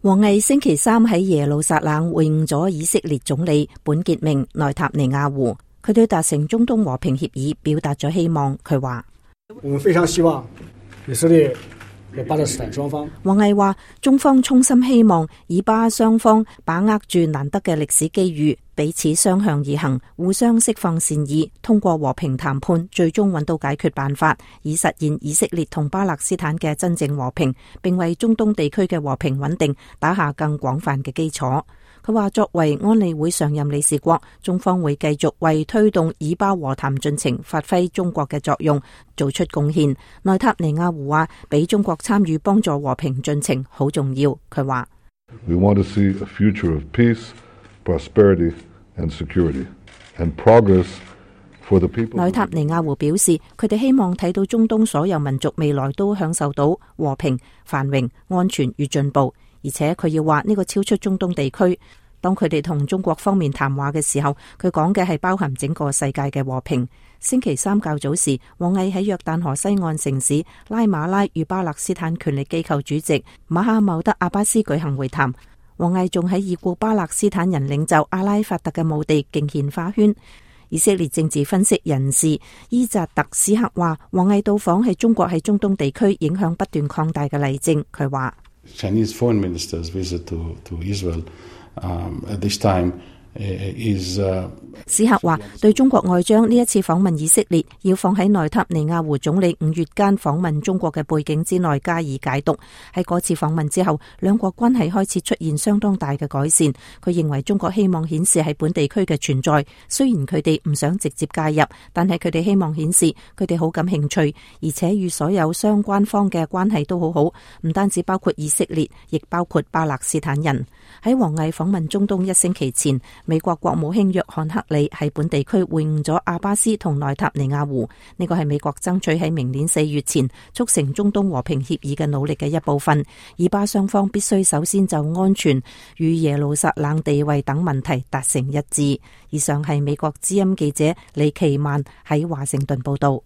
王毅星期三喺耶路撒冷會晤咗以色列總理本傑明內塔尼亞胡，佢對達成中東和平協議表達咗希望。佢話：我們非常希望以色列和巴勒斯坦雙方。王毅話：中方衷心希望以巴雙方把握住難得嘅歷史機遇，彼此相向而行，互相釋放善意，通過和平談判，最終揾到解決辦法，以實現以色列同巴勒斯坦嘅真正和平，並為中東地區嘅和平穩定打下更廣泛嘅基礎。佢話：作為安理會常任理事國，中方會繼續為推動以巴和談進程發揮中國嘅作用，做出貢獻。內塔尼亞胡話：俾中國參與幫助和平進程好重要。佢話：We want to see a future of peace, prosperity and security and progress for the people. 內塔尼亞胡表示，佢哋希望睇到中東所有民族未來都享受到和平、繁榮、安全與進步。而且佢要話呢個超出中東地區。當佢哋同中國方面談話嘅時候，佢講嘅係包含整個世界嘅和平。星期三較早時，王毅喺約旦河西岸城市拉馬拉與巴勒斯坦權力機構主席馬哈茂德阿巴斯舉行會談。王毅仲喺已故巴勒斯坦人領袖阿拉法特嘅墓地敬獻花圈。以色列政治分析人士伊扎特斯克話：王毅到訪係中國喺中東地區影響不斷擴大嘅例證。佢話Chinese foreign minister's visit to Israel at this time is 史克話：對中國外長呢一次訪問以色列，要放喺內塔尼亞胡總理5月間訪問中國嘅背景之內加以解讀。喺嗰次訪問之後，兩國關係開始出現相當大嘅改善。佢認為中國希望顯示喺本地區嘅存在，雖然佢哋唔想直接介入，但係佢哋希望顯示佢哋好感興趣，而且與所有相關方嘅關係都好好，唔單止包括以色列，亦包括巴勒斯坦人。喺王毅訪問中東1星期前，美國國務卿約翰克里喺本地區會晤咗阿巴斯同內塔尼亞胡，呢個係美國爭取喺明年4月前促成中東和平協議嘅努力嘅一部分。以巴雙方必須首先就安全與耶路撒冷地位等問題達成一致。以上係美國之音記者李奇曼喺華盛頓報道。